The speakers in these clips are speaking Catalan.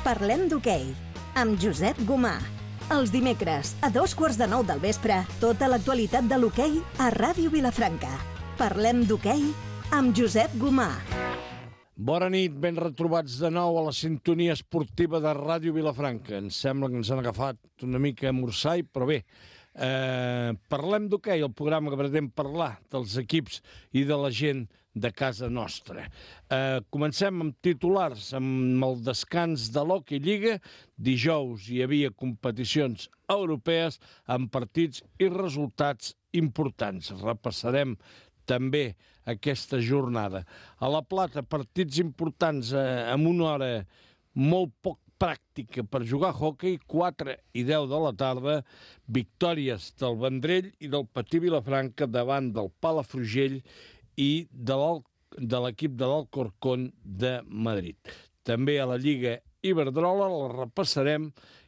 Parlem d'hoquei, amb Josep Gomà. Els dimecres, a 8:45 del vespre, tota l'actualitat de l'hoquei a Ràdio Vilafranca. Parlem d'hoquei amb Josep Gomà. Bona nit, ben retrobats de nou a la sintonia esportiva de Ràdio Vilafranca. Ens sembla que ens han agafat una mica a morsai, però bé, parlem d'hoquei, el programa que pretén parlar dels equips i de la gent de casa nostra. Comencem amb titulars, amb el descans de l'Hockey Lliga. Dijous hi havia competicions europees amb partits i resultats importants. Repassarem també aquesta jornada. A La Plata, partits importants amb una hora molt poc pràctica per jugar a hoquei, 4 i 10 de la tarda, victòries del Vendrell i del Patí Vilafranca davant del Palafrugell i de l'equip de l'Alcorcón de Madrid. També a la Lliga Iberdrola la repassarem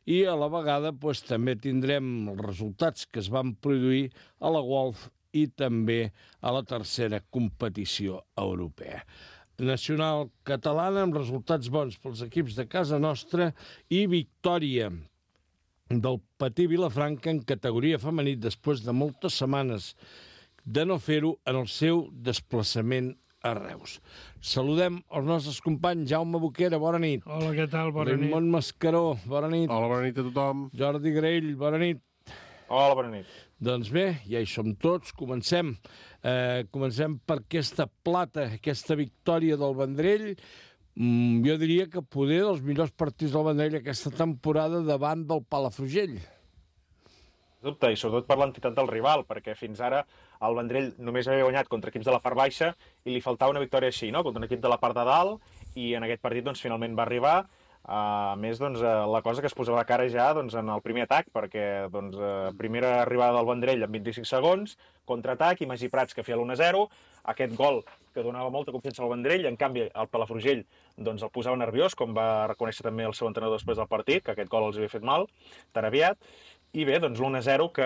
i a la vegada també tindrem els resultats que es van produir a la Golf i també a la tercera competició europea. Nacional catalana amb resultats bons pels equips de casa nostra i victòria del Patí Vilafranca en categoria femení després de moltes setmanes de no fer-ho en el seu desplaçament a Reus. Saludem els nostres companys. Jaume Boquera, bona nit. Hola, què tal? Bona nit. Raimon Mascaró, bona nit. Hola, bona nit a tothom. Jordi Graell, bona nit. Hola, bona nit. Doncs bé, ja hi som tots. Comencem per aquesta plata, aquesta victòria del Vendrell. Jo diria que poder dels millors partits del Vendrell aquesta temporada davant del Palafrugell. Dubte, i sobretot per l'entitat del rival, perquè fins ara el Vendrell només havia guanyat contra equips de la part baixa i li faltava una victòria així, no? Contra un equip de la part de dalt, i en aquest partit finalment va arribar. A més, la cosa que es posava de cara ja en el primer atac, perquè primera arribada del Vendrell en 25 segons, contraatac, i Magí Prats que feia l'1-0, aquest gol que donava molta confiança al Vendrell. En canvi el Palafrugell el posava nerviós, com va reconèixer també el seu entrenador després del partit, que aquest gol els havia fet mal tan aviat. I bé, l'1-0 que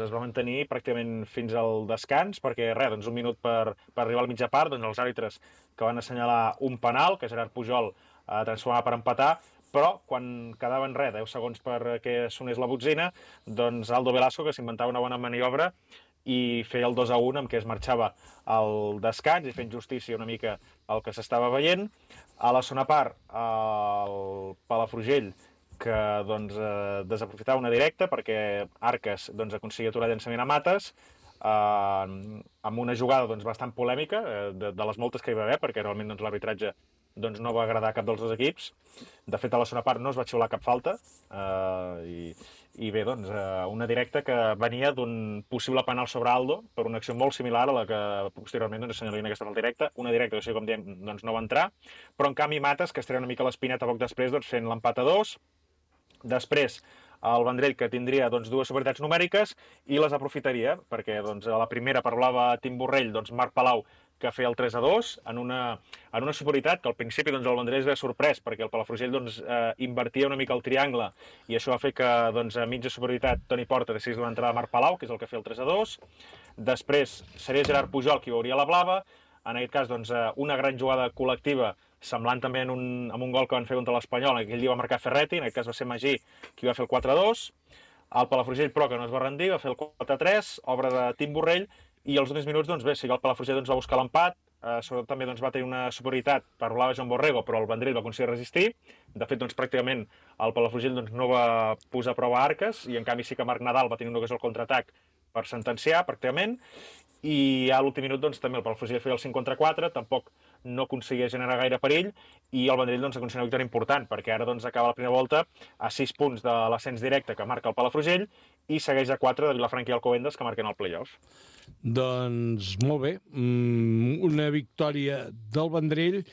es va mantenir pràcticament fins al descans, perquè un minut per arribar a la mitja part, els àrbitres que van assenyalar un penal, que Gerard Pujol transformava per empatar, però quan quedaven 10 segons perquè sonés la botzina, Aldo Velasco, que s'inventava una bona maniobra, i feia el 2-1 amb què es marxava al descans i fent justícia una mica al que s'estava veient. A la segona part, el Palafrugell, que desaprofitava una directa perquè Arques aconseguia aturar el llançament a Mates, amb una jugada bastant polèmica, de les moltes que hi va haver, perquè realment l'arbitratge no va agradar a cap dels dos equips. De fet, a la segona part no es va xiular cap falta, i bé, una directa que venia d'un possible penal sobre Aldo per una acció molt similar a la que posteriorment assenyalien aquesta falta directa, una directa que, com diem, no va entrar, però en canvi Mates, que es treia una mica l'espineta poc després, fent l'empat a 2. Després el Vendrell, que tindria dues superioritats numèriques i les aprofitaria, perquè a la primera parlava Tim Borrell, Marc Palau, que feia el 3-2 en una superioritat que al principi el Vendrell es ve sorprès, perquè el Palafrugell invertia una mica el triangle, i això va fer que a mitja superioritat Toni Porta decidís donar entrada a Marc Palau, que és el que feia el 3-2. Després seria Gerard Pujol qui veuria la blava. En aquest cas, una gran jugada col·lectiva, semblant també amb un gol que van fer contra l'Espanyol. Aquell dia va marcar Ferretti, en aquest cas va ser Magí qui va fer el 4-2. El Palafrugell, però, que no es va rendir, va fer el 4-3, obra de Tim Borrell, i als últims minuts, sí que el Palafrugell va buscar l'empat, sobretot també va tenir una superioritat per rolar Joan Borrego, però el Vendrell va aconseguir resistir. De fet, pràcticament el Palafrugell no va posar a prova Arques, i en canvi sí que Marc Nadal va tenir una ocasió al contraatac per sentenciar, pràcticament. I a l'últim minut també el Palafrugell feia el 5-4, tampoc no aconseguia generar gaire perill, i el Vendrell aconseguia una victòria important, perquè ara acaba la primera volta a 6 punts de l'ascens directe que marca el Palafrugell i segueix a 4 de Vilafranca i Alcobendas, que marquen el play-off. Doncs molt bé, una victòria del Vendrell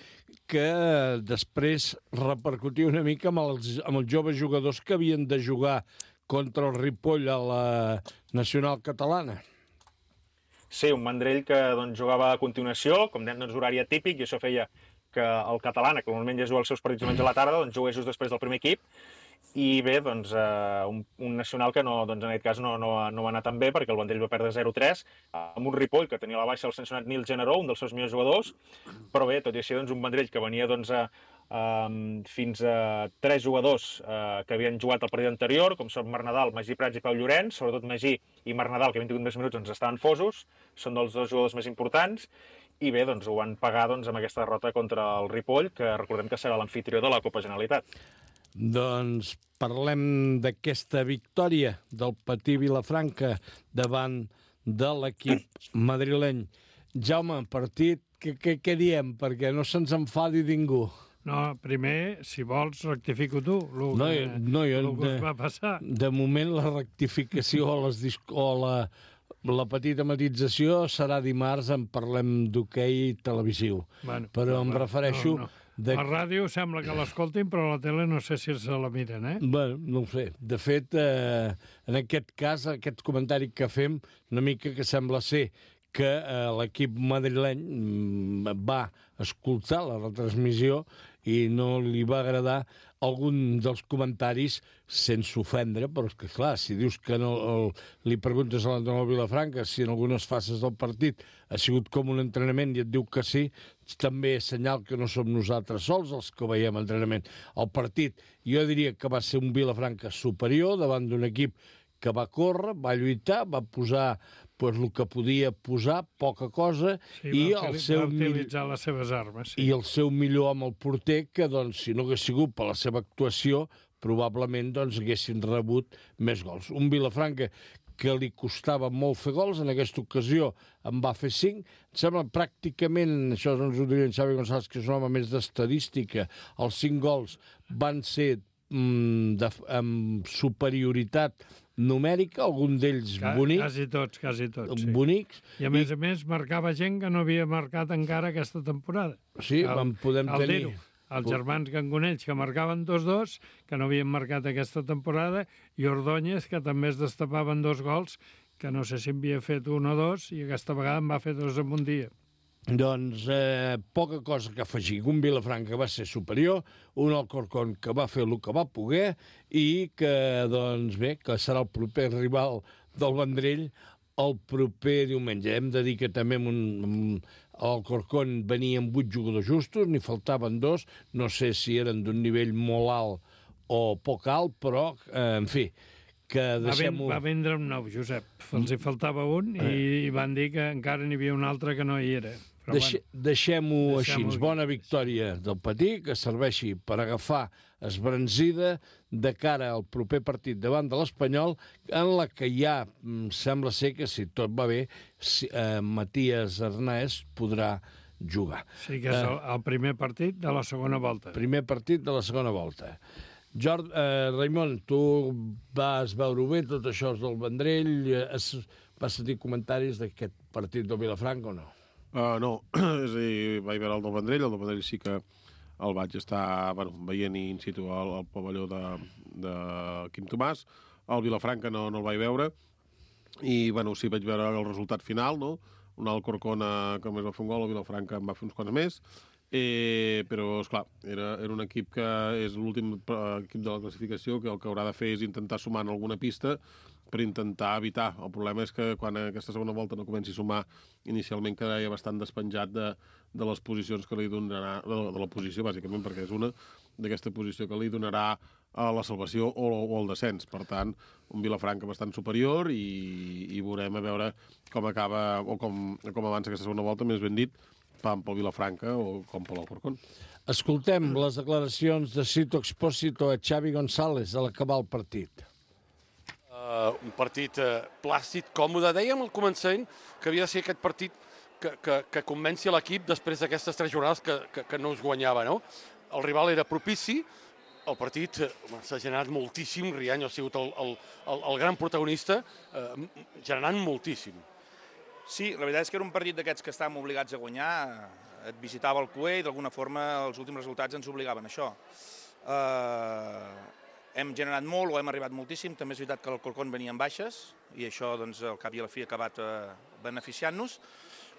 que després repercutia una mica amb els joves jugadors que havien de jugar contra el Ripoll a la Nacional Catalana. Sí, un Vendrell que jugava a continuació, com dèiem, horari atípic, i això feia que el Catalana, que normalment ja juga els seus partits diumenge a la tarda, jugués just després del primer equip. I bé, un Nacional que en aquest cas no va anar tan bé, perquè el Vendrell va perdre 0-3 amb un Ripoll que tenia a la baixa el sancionat Nil Generó, un dels seus millors jugadors, però bé, tot i així un Vendrell que venia fins a 3 jugadors que havien jugat el partit anterior, com són Marc Nadal, Magí Prats i Pau Llorenç. Sobretot Magí i Marc Nadal, que havien tingut més minuts, doncs estaven fosos, són dels 2 jugadors més importants, i bé, doncs ho van pagar amb aquesta derrota contra el Ripoll, que recordem que serà l'amfitrió de la Copa Generalitat. Doncs parlem d'aquesta victòria del Patí Vilafranca davant de l'equip madrileny. Jaume, partit, què diem? Perquè no se'ns enfadi ningú. No, primer, si vols, rectifico tu, el que va passar. De moment, la rectificació o la petita matització serà dimarts, en parlem d'hoquei televisiu. Bueno, però em refereixo... La ràdio sembla que l'escoltin, però la tele no sé si se la miren, Bueno, no ho sé. De fet, en aquest cas, aquest comentari que fem, una mica que sembla ser que l'equip madrileny va escoltar la retransmissió i no li va agradar algun dels comentaris sense ofendre, però és que, clar, si dius que no li preguntes a l'entrenador Vilafranca si en algunes fases del partit ha sigut com un entrenament i et diu que sí, també és senyal que no som nosaltres sols els que veiem entrenament. El partit, jo diria que va ser un Vilafranca superior davant d'un equip que va córrer, va lluitar, va posar el que podia posar, poca cosa, i va utilitzar les seves armes. I el seu millor amb el porter, que doncs, si no hagués sigut per la seva actuació, probablement haguessin rebut més gols. Un Vilafranca que li costava molt fer gols, en aquesta ocasió en va fer 5. Em sembla pràcticament, això ens ho diria en Xavi González, que és un home més d'estadística, els 5 gols van ser amb superioritat numèrica, algun d'ells bonics. Quasi tots, sí. Bonics. I a més marcava gent que no havia marcat encara aquesta temporada. Sí, podem tenir... Els germans Cangonells, que marcaven 2-2, que no havien marcat aquesta temporada, i Ordóñez, que també es destapaven 2 gols, que no sé si havia fet 1 o 2, i aquesta vegada en va fer 2 en un dia. Doncs poca cosa que afegir. Un Vilafranca va ser superior, un Alcorcón que va fer el que va poder i que, doncs bé, que serà el proper rival del Vendrell el proper diumenge. Hem de dir que també Alcorcón venia amb 8 jugadors justos, n'hi faltaven 2, no sé si eren d'un nivell molt alt o poc alt, però, en fi, que deixem-ho... Va vendre un nou, Josep. Els hi faltava un i van dir que encara n'hi havia un altre que no hi era. Deixem-ho així. Bona victòria del Patí, que serveixi per agafar esbranzida de cara al proper partit davant de l'Espanyol, en la que ja sembla ser que, si tot va bé, Matías Arnaez podrà jugar. Sí, que és el primer partit de la segona volta. Primer partit de la segona volta. Raimon, tu vas veure bé tot això del Vendrell? Vas sentir comentaris d'aquest partit del Vilafranca o no? No, és a dir, vaig veure el del Vendrell sí que el vaig estar veient in situ al pavelló de Quim Tomàs. El Vilafranca no el vaig veure i sí vaig veure el resultat final, no? Un Alcorcón que més va fer un gol, el Vilafranca en va fer uns quants més, però, esclar, era un equip que és l'últim equip de la classificació, que el que haurà de fer és intentar sumar en alguna pista per intentar evitar. El problema és que quan aquesta segona volta no comenci a sumar, inicialment quedaria bastant despenjat de les posicions que li donarà, de la posició, bàsicament, perquè és una d'aquesta posició que li donarà a la salvació o el descens. Per tant, un Vilafranca bastant superior i veurem a veure com acaba o com avança aquesta segona volta, més ben dit, tant pel Vilafranca o com per l'Alcorcón. Escoltem les declaracions de Sito Expósito a Xavi González a l'acabar el partit. Un partit plàcid, còmode. Dèiem al començament que havia de ser aquest partit que convenci l'equip després d'aquestes 3 jornades que no es guanyava, no? El rival era propici, el partit s'ha generat moltíssim, Riaño ha sigut el gran protagonista, generant moltíssim. Sí, la veritat és que era un partit d'aquests que estàvem obligats a guanyar, et visitava el Cué i d'alguna forma els últims resultats ens obligaven a això. Hem generat molt o hem arribat moltíssim, també és veritat que l'Alcorcón venia en baixes i això doncs, al cap i a la fi ha acabat beneficiant-nos,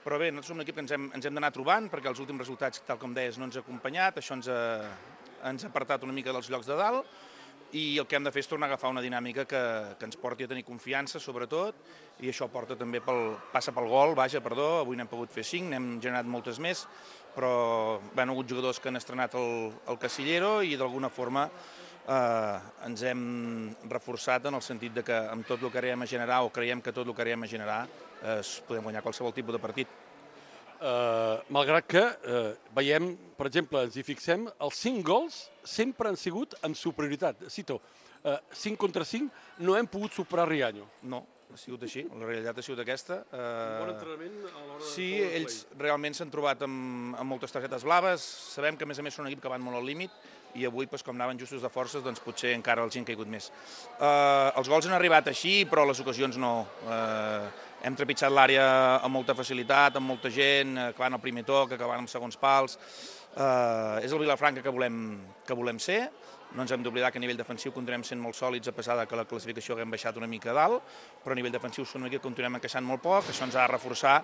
però bé, nosaltres som un equip que ens hem d'anar trobant perquè els últims resultats, tal com deies, no ens ha acompanyat, això ens ha apartat una mica dels llocs de dalt, i el que hem de fer és tornar a agafar una dinàmica que ens porti a tenir confiança, sobretot, i això passa pel gol, avui n'hem pogut fer 5, n'hem generat moltes més, però han hagut jugadors que han estrenat el Casillero i d'alguna forma ens hem reforçat en el sentit de que amb tot el que arribem a generar, o creiem que tot el que arribem a generar, podem guanyar qualsevol tipus de partit. Malgrat que veiem, per exemple, ens hi fixem, els 5 gols sempre han sigut amb superioritat. Cito, 5 contra 5, no hem pogut superar Riaño. No, ha sigut així, la realitat ha sigut aquesta. Un bon entrenament a l'hora de... Sí, ells realment s'han trobat amb moltes targetes blaves, sabem que a més són un equip que van molt al límit, i avui, com anaven justos de forces, doncs potser encara els hi han caigut més. Els gols han arribat així, però les ocasions no. Hem trepitjat l'àrea amb molta facilitat, amb molta gent, acabant el primer toc, acabant amb segons pals. És el Vilafranca que volem ser. No ens hem d'oblidar que a nivell defensiu continuem sent molt sòlids, a pesar que la classificació haguem baixat una mica a dalt, però a nivell defensiu som un equip que continuem encaixant molt poc. Això ens ha de reforçar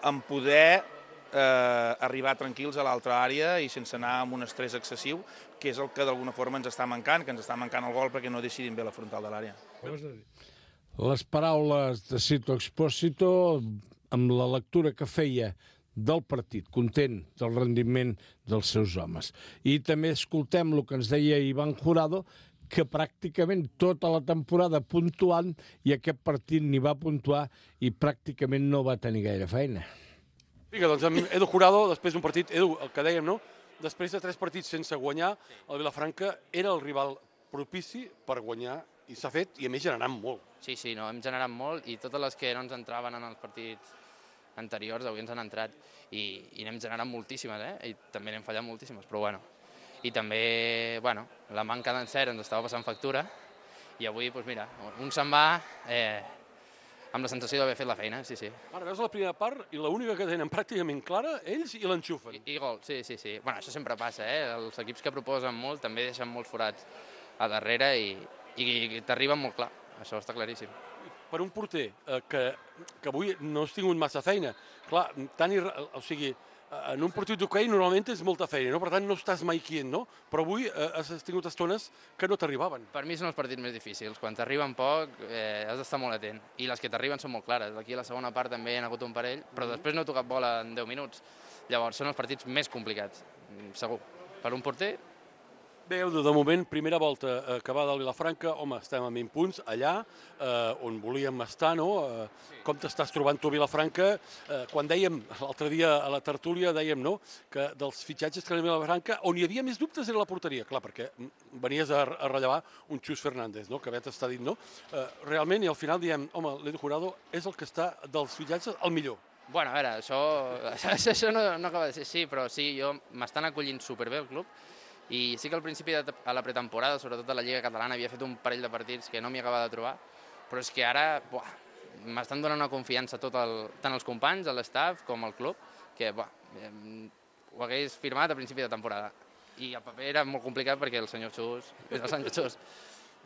en poder arribar tranquils a l'altra àrea i sense anar amb un estrès excessiu, que és el que d'alguna forma ens està mancant, que ens està mancant el gol perquè no decidim bé la frontal de l'àrea. Les paraules de Cito Expósito, amb la lectura que feia del partit, content del rendiment dels seus homes. I també escoltem el que ens deia Iván Jurado, que pràcticament tota la temporada puntuant, i aquest partit ni va puntuar i pràcticament no va tenir gaire feina. Vinga, doncs amb Edu Jurado, després d'un partit, Edu, el que dèiem, no? Després de 3 partits sense guanyar, el Vilafranca era el rival propici per guanyar, i s'ha fet, i a més generant molt. Sí, no, hem generat molt, i totes les que no ens entraven en els partits anteriors avui ens han entrat, i n'hem generat moltíssimes, i també n'hem fallat moltíssimes, però bueno. I també, la manca d'encert ens estava passant factura, i avui, doncs mira, un se'n va amb la sensació d'haver fet la feina, sí. Ara veus la primera part i l'única que tenen pràcticament clara, ells, i l'enxufen. I gol, sí. Bueno, això sempre passa, Els equips que proposen molt també deixen molts forats a darrere i t'arriben molt clar, això està claríssim. Per un porter que avui no has tingut massa feina, clar, o sigui, en un partit d'hoquei normalment tens molta feina, per tant no estàs mai quient, no? Però avui has tingut estones que no t'arribaven. Per mi són els partits més difícils. Quan t'arriben poc has d'estar molt atent. I les que t'arriben són molt clares. Aquí a la segona part també hi ha hagut un parell, però després no he tocat bola en 10 minuts. Llavors són els partits més complicats, segur. Per un porter... Bé, Edu, de moment, primera volta acabada al Vilafranca, home, estem amb 20 punts allà, on volíem estar, no? Com t'estàs trobant tu a Vilafranca? Quan dèiem, l'altre dia a la tertúlia, dèiem, no?, que dels fitxatges que anaven a Vilafranca, on hi havia més dubtes era la porteria, clar, perquè venies a rellevar un Xus Fernández, no?, que ja t'està dit, no? Realment, i al final diem, home, l'Edu Jurado és el que està dels fitxatges el millor. Bueno, a veure, això no acaba de ser així, però sí, m'estan acollint superbé el club. I sí que al principi de la pretemporada, sobretot a la Lliga Catalana, havia fet un parell de partits que no m'hi acabava de trobar, però és que ara m'estan donant una confiança tant els companys, l'estaf, com el club, que ho hagués firmat a principi de temporada. I el paper era molt complicat perquè el senyor Xus és el senyor Xus.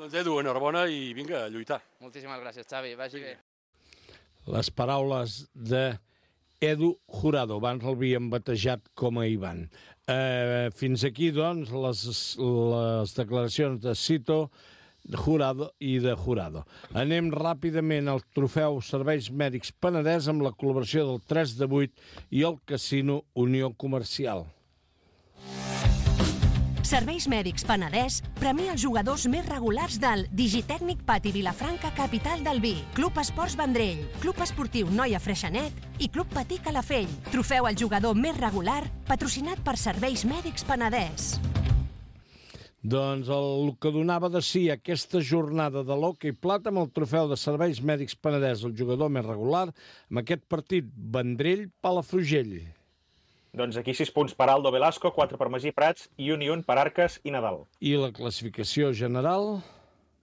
Doncs Edu, enhorabona i vinga, a lluitar. Moltíssimes gràcies, Xavi, vagi bé. Les paraules de Edu Jurado, abans l'havíem batejat com a Ivan. Fins aquí, doncs, les declaracions de Cito, de Jurado i de Jurado. Anem ràpidament al trofeu Serveis Mèdics Penedès amb la col·laboració del 3 de 8 i el Casino Unió Comercial. Serveis Mèdics Penedès premia els jugadors més regulars del Digitècnic Pati Vilafranca, capital del vi, Club Esports Vendrell, Club Esportiu Noia Freixenet i Club Patí Calafell. Trofeu al jugador més regular, patrocinat per Serveis Mèdics Penedès. Doncs el que donava de si aquesta jornada de l'hoquei plata amb el trofeu de Serveis Mèdics Penedès, el jugador més regular, amb aquest partit Vendrell-Palafrugell. Doncs aquí 6 punts per Aldo Velasco, 4 per Magí Prats i un per Arques i Nadal. I la classificació general?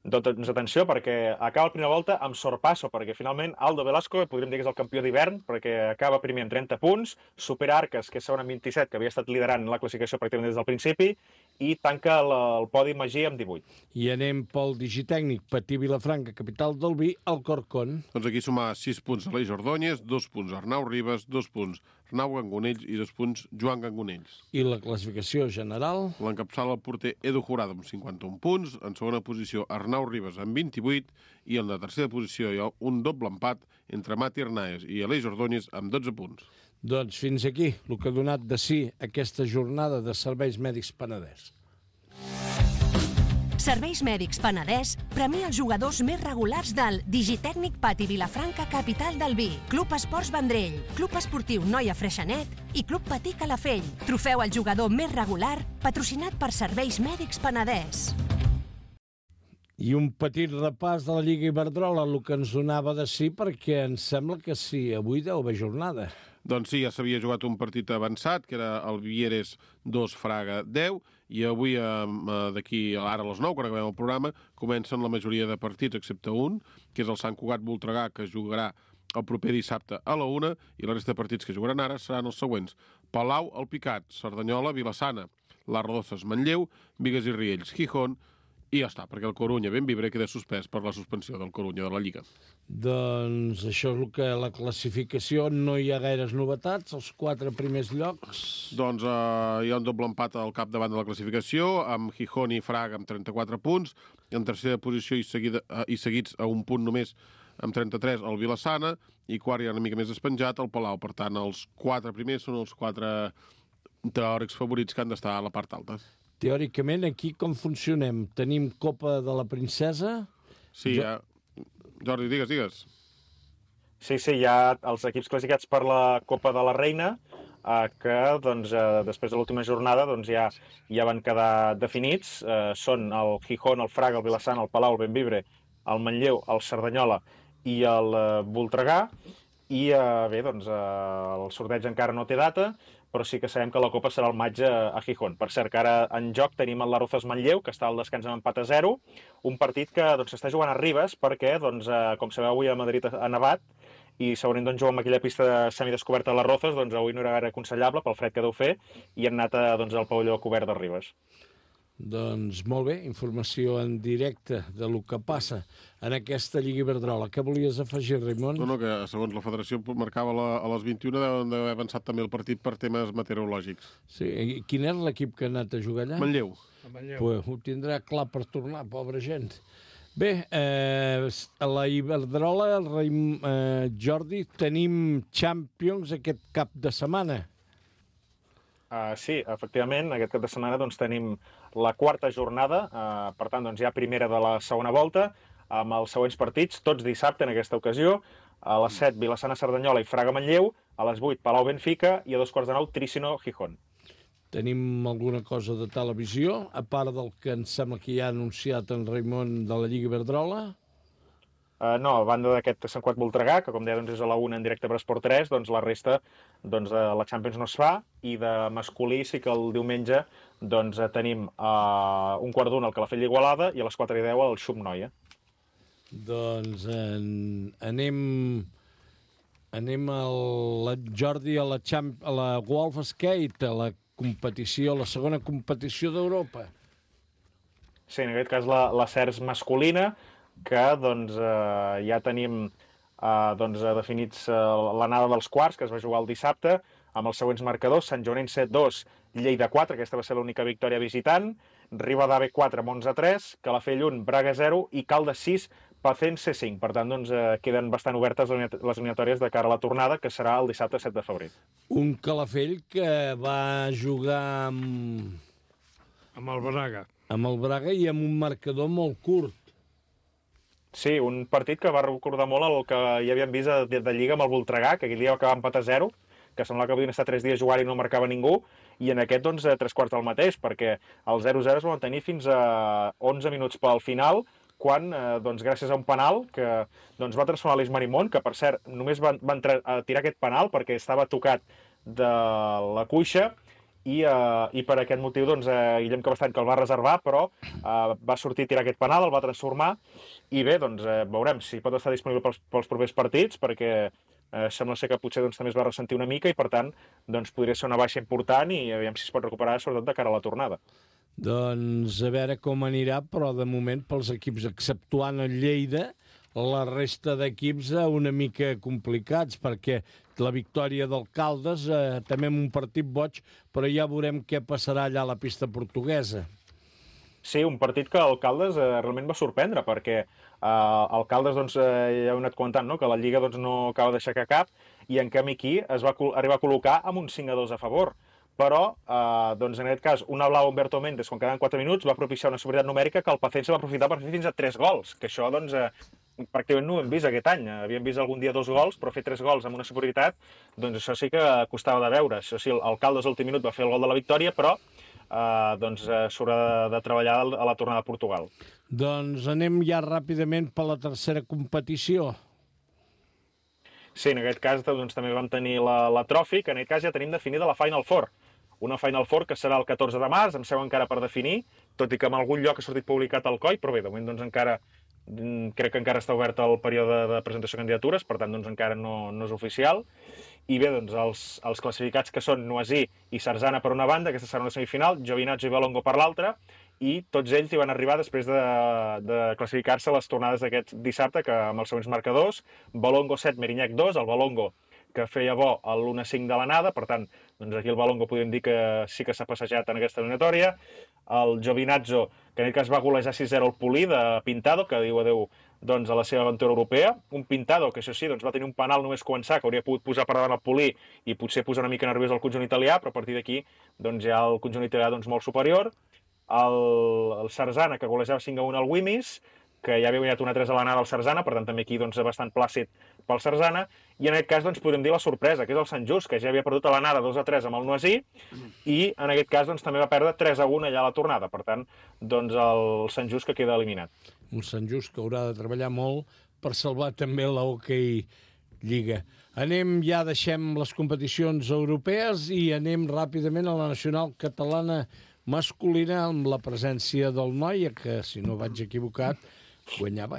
Doncs atenció, perquè acaba la primera volta amb sorpasso, perquè finalment Aldo Velasco, podríem dir que és el campió d'hivern, perquè acaba primer amb 30 punts, supera Arques, que és segon amb 27, que havia estat liderant la classificació pràcticament des del principi, i tanca el podi Magí amb 18. I anem pel digitècnic, Patí Vilafranca, capital del vi, Alcorcón. Doncs aquí sumar 6 punts Aleix Ordóñez, 2 punts Arnau Ribas, 2 punts Arnau Gangonells i 2 punts Joan Gangonells. I la classificació general? L'encapçala el porter Edu Jurado amb 51 punts, en segona posició Arnau Ribas amb 28 i en la tercera posició hi ha un doble empat entre Mati Arnaez i Aleix Ordóñez amb 12 punts. Doncs fins aquí el que ha donat de si aquesta jornada de Serveis Mèdics Penedès. Serveis Mèdics Penedès premia els jugadors més regulars del Digitècnic Pati Vilafranca, capital del vi, Club Esports Vendrell, Club Esportiu Noia Freixenet i Club Patí Calafell. Trofeu al jugador més regular, patrocinat per Serveis Mèdics Penedès. I un petit repàs de la Lliga Iberdrola, el que ens donava de si, perquè ens sembla que sí, avui deu haver jornada. Doncs sí, ja s'havia jugat un partit avançat, que era el Vieres 2, Fraga 10, i avui, d'aquí ara a les 9, quan acabem el programa, comencen la majoria de partits, excepte un, que és el Sant Cugat-Voltregà, que jugarà el proper dissabte a la 1, i la resta de partits que jugaran ara seran els següents. Palau, El Picat, Cerdanyola, Vilassana, Les Rodoses, Manlleu, Bigues i Riells, Gijón, i ja està, perquè el Corunya Bembibre queda suspès per la suspensió del Corunya de la Lliga. Doncs això és el que la classificació, no hi ha gaires novetats, els 4 primers llocs. Doncs hi ha un doble empat al capdavant de la classificació, amb Gijón i Fraga amb 34 punts, en tercera posició i seguits a un punt només amb 33 el Vilassana, i quart ja una mica més despenjat el Palau. Per tant, els 4 primers són els 4 teòrics favorits que han d'estar a la part alta. Teòricament, aquí com funcionem? Tenim Copa de la Princesa? Sí, Jordi, digues. Sí, hi ha els equips classificats per la Copa de la Reina, que doncs, després de l'última jornada doncs, ja van quedar definits. Són el Gijón, el Fraga, el Vilassana, el Palau, el Bembibre, el Manlleu, el Cerdanyola i el Voltregà. I bé, doncs, el sorteig encara no té data, però sí que sabem que la Copa serà al maig a Gijón. Per cert, que ara en joc tenim el Las Rozas Manlleu, que està al descans amb empat a 0, un partit que s'està jugant a Ribes perquè, doncs, com sabeu, avui a Madrid ha nevat i segurament doncs, jugar amb aquella pista semidescoberta a Las Rozas, doncs avui no era gaire aconsellable pel fred que deu fer i han anat doncs, al pavelló cobert de Ribes. Doncs molt bé, informació en directe de lo que passa en aquesta Lliga Iberdrola. Què volies afegir, Raimon? No, que segons la federació marcava a les 21 deuen d'haver avançat també el partit per temes meteorològics. Sí, i quin és l'equip que ha anat a jugar allà? Manlleu. Pues ho tindrà clar per tornar, pobra gent. Bé, a la Iberdrola, Jordi, tenim Champions aquest cap de setmana. Sí, efectivament, aquest cap de setmana doncs, tenim la quarta jornada, per tant, doncs, ja primera de la segona volta, amb els següents partits, tots dissabte en aquesta ocasió, a les 7 Vilassana Cerdanyola i Fraga Manlleu, a les 8 Palau Benfica i a 2:15 Trícino Gijón. Tenim alguna cosa de televisió, a part del que em sembla que ja ha anunciat en Raimon de la Lliga Iberdrola? No, a banda d'aquest Sant Cugat-Voltregà, que com deia doncs, és a la 1 en directe per Esport 3, doncs la resta doncs, de la Champions no es fa, i de masculí sí que el diumenge doncs, tenim un quart d'una al Calafell d'Igualada i a les 4:10 al Xum Noia. Doncs anem Jordi a la Golf Skate, a la competició, la segona competició d'Europa. Sí, en aquest cas la CERS masculina, que doncs, ja tenim definits l'anada dels quarts, que es va jugar el dissabte, amb els següents marcadors: Sant Joanenc 7-2, Lleida 4, aquesta va ser l'única victòria visitant, Ribadave 4, Monza 3, Calafell 1, Braga 0 i Caldes 6, Pacense 5. Per tant, doncs, queden bastant obertes les eliminatòries de cara a la tornada, que serà el dissabte 7 de febrer. Un Calafell que va jugar amb el Braga. Amb el Braga i amb un marcador molt curt. Sí, un partit que va recordar molt el que ja havíem vist de Lliga amb el Voltregà, que aquell dia va acabar empat a 0, que semblava que havien estat 3 dies jugant i no marcava ningú, i en aquest, doncs, 3/4 del mateix, perquè el 0-0 es va mantenir fins a 11 minuts pel final, quan, doncs, gràcies a un penal que doncs, va transformar l'Eix Marimón, que, per cert, només va tirar aquest penal perquè estava tocat de la cuixa, i per aquest motiu doncs, Guillem Cabestany, que el va reservar, però va sortir a tirar aquest penal, el va transformar, i bé, doncs, veurem si pot estar disponible pels propers partits, perquè sembla ser que potser doncs, també es va ressentir una mica i, per tant, doncs, podria ser una baixa important i aviam si es pot recuperar, sobretot de cara a la tornada. Doncs a veure com anirà, però de moment pels equips, exceptuant el Lleida, la resta d'equips una mica complicats, perquè la victòria del Caldes també en un partit boig, però ja veurem què passarà allà a la pista portuguesa. Sí, un partit que el Caldes realment va sorprendre, perquè el Caldes, doncs, ja heu anat comentant, no?, que la Lliga doncs, no acaba d'aixecar cap, i en canvi aquí es va arribar a col·locar amb un 5-2 a favor. Però, doncs, en aquest cas, una blau Humberto Méndez, quan quedaven 4 minuts, va propiciar una superioritat numèrica que el Pacense va aprofitar per fer fins a 3 gols, que això, doncs, pràcticament no ho hem vist aquest any. Havíem vist algun dia 2 gols, però fer 3 gols amb una superioritat, doncs això sí que costava de veure. Això sí, el Caldes a l'últim minut va fer el gol de la victòria, però doncs s'haurà de treballar a la tornada a Portugal. Doncs anem ja ràpidament per la tercera competició. Sí, en aquest cas doncs, també vam tenir la Trophy, que en aquest cas ja tenim definida la Final Four. Una Final Four que serà el 14 de març, em sembla encara per definir, tot i que en algun lloc ha sortit publicat al COI, però bé, de moment doncs, crec que encara està obert el període de presentació de candidatures, per tant doncs, encara no és oficial. I bé, doncs, els classificats que són Noisy i Sarzana per una banda, aquesta serà una semifinal, Giovinazzo i Valongo per l'altra, i tots ells hi van arribar després de classificar-se a les tornades d'aquest dissabte, que amb els següents marcadors, Valongo 7, Merinhac 2, el Valongo que feia bo a l'1-5 de l'anada, per tant, doncs aquí el Valongo podem dir que sí que s'ha passejat en aquesta eliminatòria. El Giovinazzo, que en aquest cas va golejar 6-0 el Polí de Pintado, que diu adeu doncs, a la seva aventura europea. Un Pintado que, això sí, doncs, va tenir un penal només començar, que hauria pogut posar per davant el Polí i potser posar una mica nerviós el conjunt italià, però a partir d'aquí doncs, ja el conjunt italià doncs, molt superior. El Sarzana, que golejava 5-1 al Wimis, que ja havia guanyat 1-3 a l'anada al Sarzana, per tant també aquí doncs, bastant plàcid pel Sarzana, i en aquest cas doncs, podem dir la sorpresa, que és el Sant Just, que ja havia perdut a l'anada 2-3 amb el Noisy, i en aquest cas doncs, també va perdre 3-1 allà a la tornada, per tant, doncs, el Sant Just que queda eliminat. Un Sant Just que haurà de treballar molt per salvar també la Hockey Lliga. Deixem les competicions europees i anem ràpidament a la nacional catalana masculina amb la presència del Noia, que, si no vaig equivocat, guanyava.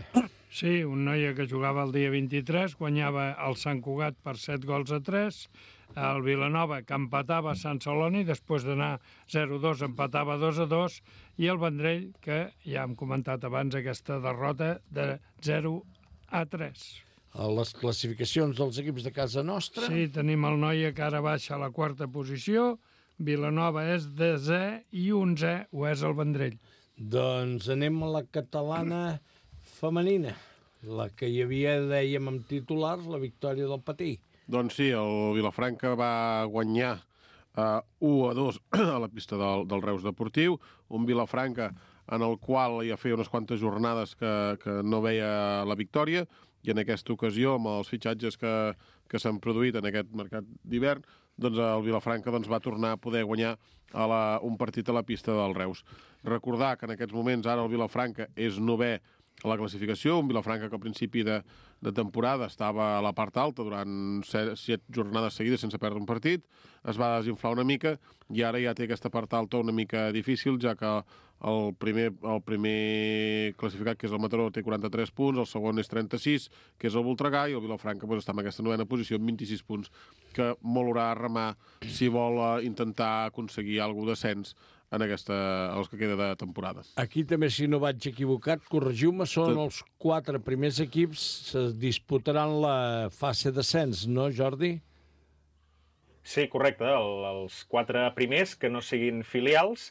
Sí, un Noia que jugava el dia 23, guanyava el Sant Cugat per 7-3, el Vilanova, que empatava a Sant Celoni, després d'anar 0-2, empatava 2-2, i el Vendrell, que ja hem comentat abans aquesta derrota de 0-3. A les classificacions dels equips de casa nostra... Sí, tenim el Noia que ara baixa a la quarta posició, Vilanova és 10è i 11è ho és el Vendrell. Doncs anem a la catalana femenina, la que hi havia, dèiem, amb titulars, la victòria del Patí. Doncs sí, el Vilafranca va guanyar 1-2 a la pista del Reus Deportiu, un Vilafranca en el qual ja feia unes quantes jornades que no veia la victòria, i en aquesta ocasió, amb els fitxatges que s'han produït en aquest mercat d'hivern, doncs el Vilafranca va tornar a poder guanyar un partit a la pista del Reus. Recordar que en aquests moments ara el Vilafranca és 9è a la classificació, un Vilafranca que al principi de temporada estava a la part alta durant 7 jornades seguides sense perdre un partit, es va desinflar una mica i ara ja té aquesta part alta una mica difícil, ja que el primer classificat, que és el Mataró, té 43 punts, el segon és 36, que és el Voltregà, i el Vilafranca està en aquesta 9a posició amb 26 punts, que molt haurà a remar si vol intentar aconseguir alguna descens en els que queda de temporada. Aquí també, si no vaig equivocat, corregiu-me, són els 4 primers equips que disputaran la fase d'ascens, no, Jordi? Sí, correcte. Els 4 primers, que no siguin filials,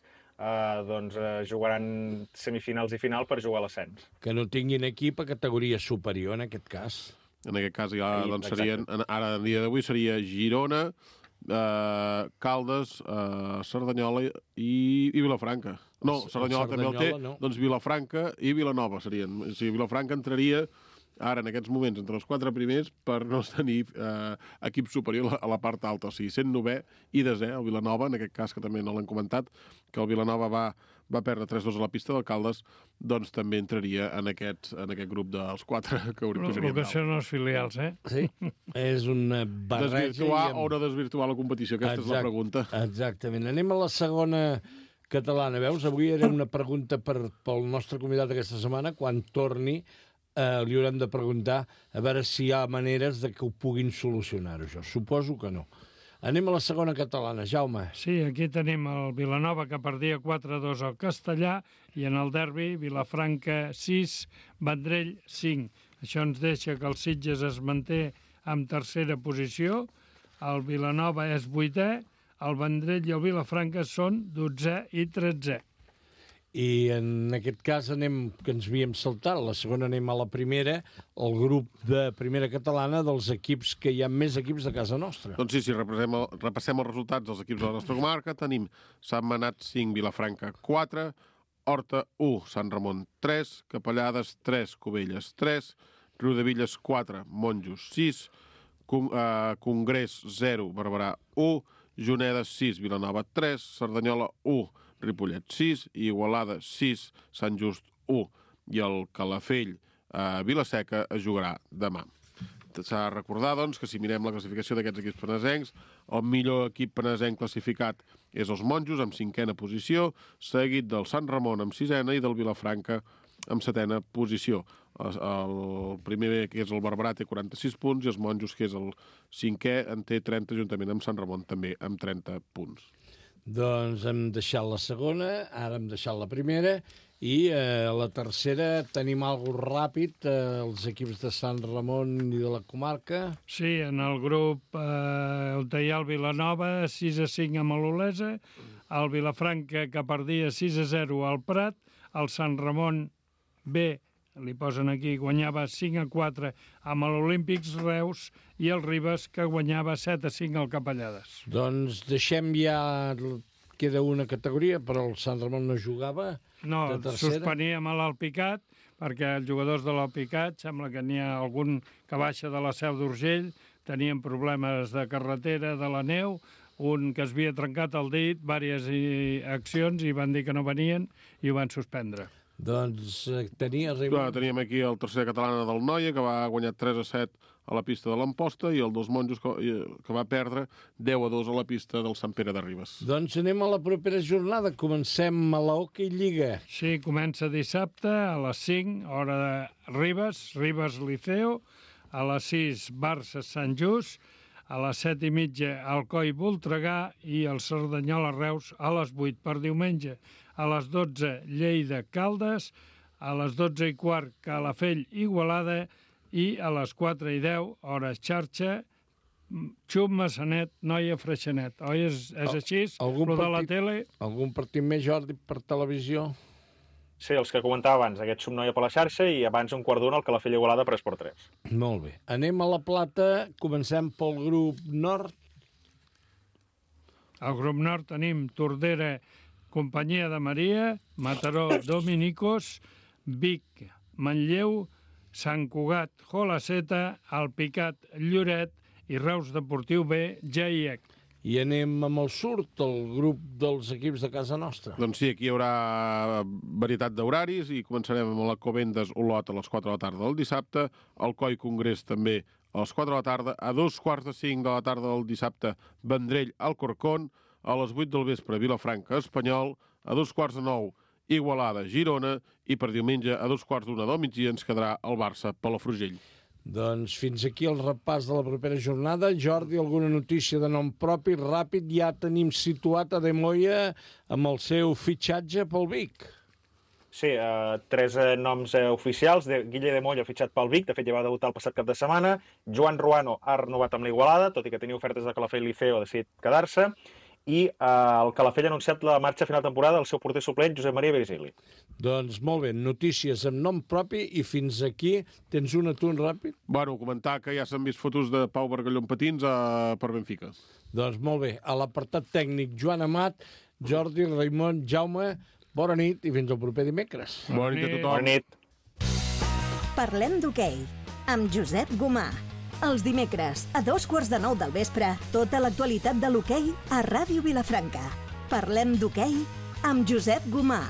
jugaran semifinals i final per jugar a l'ascens. Que no tinguin equip a categoria superior, en aquest cas. En aquest cas, ja serien, ara, en dia d'avui, seria Girona, Caldes, Cerdanyola i Vilafranca. No, Cerdanyola també el té, no. Doncs Vilafranca i Vilanova serien. O sigui, Vilafranca entraria ara, en aquests moments, entre els 4 primers per no tenir equip superior a la part alta. O sigui, sent 9è i 10è, el Vilanova, en aquest cas, que també no l'han comentat, que el Vilanova va perdre 3-2 a la pista del Caldes, doncs també entraria en aquest grup dels 4 que pujarien. El que són els filials, eh? Sí, és una barreja... Desvirtuar o no desvirtuar la competició, aquesta és la pregunta. Exactament. Anem a la segona catalana. Veus, avui era una pregunta pel nostre convidat aquesta setmana. Quan torni, li haurem de preguntar a veure si hi ha maneres de que ho puguin solucionar, això. Suposo que no. Anem a la segona catalana, Jaume. Sí, aquí tenim el Vilanova que perdia 4-2 al Castellà i en el derbi Vilafranca 6, Vendrell 5. Això ens deixa que el Sitges es manté en tercera posició, el Vilanova és 8è, el Vendrell i el Vilafranca són 12è i 13è. I en aquest cas que ens havíem saltat, la segona anem a la primera, el grup de primera catalana dels equips que hi ha més equips de casa nostra. Doncs sí, si repassem els resultats dels equips de la nostra comarca, tenim Sant Manat 5, Vilafranca 4, Horta 1, Sant Ramon 3, Capellades 3, Cubelles 3, Riudevilles 4, Monjos 6, Congrés 0, Barberà 1, Juneda 6, Vilanova 3, Cerdanyola 1, Ripollet 6, Igualada 6, Sant Just 1 i el Calafell Vilaseca es jugarà demà. S'ha de recordar, doncs, que si mirem la classificació d'aquests equips penesencs, el millor equip penesenc classificat és els Monjos, amb 5a posició, seguit del Sant Ramon amb 6a i del Vilafranca amb 7a posició. El primer, que és el Barberà, té 46 punts i els Monjos, que és el 5è, en té 30, juntament amb Sant Ramon, també amb 30 punts. Doncs hem deixat la segona, ara hem deixat la primera, i a la tercera tenim alguna ràpid, els equips de Sant Ramon i de la comarca. Sí, en el grup on hi ha el Vilanova, 6-5 amb l'Olesa, el Vilafranca, que perdia 6-0 al Prat, el Sant Ramon B, li posen aquí, guanyava 5-4 amb l'Olímpics Reus, i el Ribes, que guanyava 7-5 al Capellades. Doncs deixem ja... Queda una categoria, però el Sant Ramon no jugava. No, suspeníem a l'Alpicat, perquè els jugadors de l'Alpicat, sembla que n'hi ha algun que baixa de la Seu d'Urgell, tenien problemes de carretera, de la neu, un que es havia trencat el dit, diverses accions, i van dir que no venien i ho van suspendre. Doncs teníem aquí el tercer catalana del Noia, que va guanyar 3-7 a la pista de l'Amposta, i el dels Monjos, que va perdre 10-2 a la pista del Sant Pere de Ribes. Doncs anem a la propera jornada. Comencem a la Hockey Lliga. Sí, comença dissabte a les 5, hora de Ribes Liceo, a les 6, Barça Sant Just, a les 7:30, Alcoi Voltregà, i el Cerdanyola Reus a les 8 per diumenge. A les 12, Lleida Caldes, a les 12:15, Calafell Igualada, i a les 4:10, hores xarxa, Xum Massanet, Noia Freixenet. Oi, és així? Lo de la tele? Algun partit més, Jordi, per televisió? Sí, els que comentava abans, aquest Xum Noia per la xarxa, i abans un quart d'una el Calafell Igualada per Esport 3. Molt bé. Anem a la Plata, comencem pel grup nord. Al grup nord tenim Tordera, Companyia de Maria, Mataró, Dominicos, Vic, Manlleu, Sant Cugat, Jolaceta, Alpicat, Lloret i Reus Deportiu B, GIEC. I anem amb el surt, el grup dels equips de casa nostra. Doncs sí, aquí hi haurà varietat d'horaris i començarem amb la Covendes Olot a les 4 de la tarda del dissabte, el Coi Congrés també a les 4 de la tarda, a 2:45 de la tarda del dissabte, Vendrell Alcorcón, a les 8 del vespre, Vilafranca Espanyol, a 8:45 Igualada, Girona, i per diumenge a 2:15 del migdia ens quedarà el Barça Palafrugell. Doncs fins aquí el repàs de la propera jornada. Jordi, alguna notícia de nom propi? Ràpid, ja tenim situat a De Moya amb el seu fitxatge pel Vic. Sí, 3 noms oficials. Guille De Moya ha fitxat pel Vic, de fet ja va debutar el passat cap de setmana. Joan Ruano ha renovat amb l'Igualada, tot i que tenia ofertes de Calafell Liceo, ha decidit quedar-se. I el Calafell ha anunciat la marxa a final de temporada del seu porter suplent, Josep Maria Virgili. Doncs molt bé, notícies amb nom propi, i fins aquí tens un atunt ràpid? Bueno, comentar que ja s'han vist fotos de Pau Bargalló en patins per Benfica. Doncs molt bé, a l'apartat tècnic, Joan Amat, Jordi, Raimon, Jaume, bona nit i fins al proper dimecres. Bona nit a tothom. Bona nit. Parlem d'hoquei, amb Josep Gomà. Els dimecres, a 8:15 del vespre, tota l'actualitat de l'hoquei a Ràdio Vilafranca. Parlem d'hoquei amb Josep Gomà.